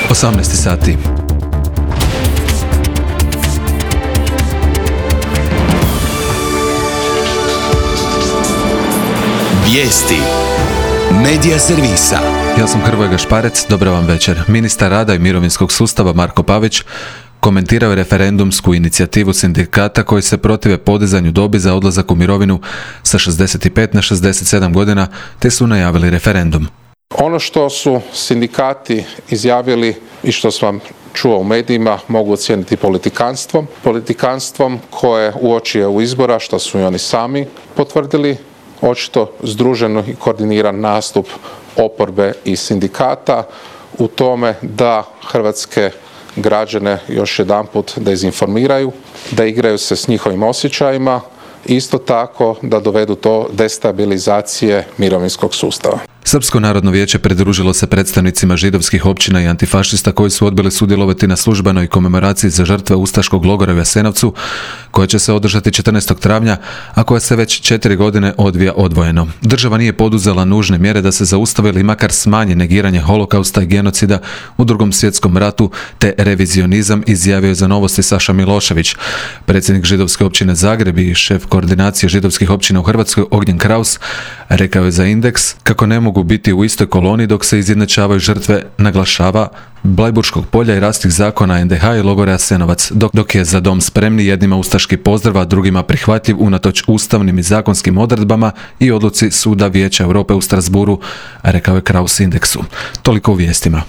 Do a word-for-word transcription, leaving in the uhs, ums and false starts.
osamnaest sati. Vijesti Medija servisa. Ja sam Hrvoje Gašparec, dobra vam večer. Ministar rada i mirovinskog sustava Marko Pavić komentirao je referendumsku inicijativu sindikata koji se protive podizanju dobi za odlazak u mirovinu sa šezdeset pet na šezdeset sedam godina, te su najavili referendum. Ono što su sindikati izjavili i što sam čuo u medijima mogu ocijeniti politikanstvom. Politikanstvom koje uoči EU izbora, što su i oni sami potvrdili, očito združeno i koordiniran nastup oporbe i sindikata u tome da hrvatske građane još jedanput dezinformiraju, da igraju se s njihovim osjećajima, isto tako da dovedu do destabilizacije mirovinskog sustava. Srpsko narodno vijeće pridružilo se predstavnicima židovskih općina i antifašista koji su odbili sudjelovati na službenoj komemoraciji za žrtve ustaškog logora u Jasenovcu, koja će se održati četrnaestog travnja, a koja se već četiri godine odvija odvojeno. Država nije poduzela nužne mjere da se zaustavi ili makar smanji negiranje holokausta i genocida u Drugom svjetskom ratu te revizionizam, izjavio je za Novosti Saša Milošević. Predsjednik židovske općine Zagreb i šef koordinacije židovskih općina u Hrvatskoj Ognjen Kraus rekao je za Indeks kako ne mogu biti u istoj koloni dok se izjednačavaju žrtve, naglašava, Blajburškog polja i rastih zakona en de ha i logora Jasenovac, dok, dok je za dom spremni jednima ustaški pozdrav, a drugima prihvatljiv unatoč ustavnim i zakonskim odredbama i odluci Suda Vijeća Europe u Strasburu, rekao je Kraus Indeksu. Toliko u vijestima.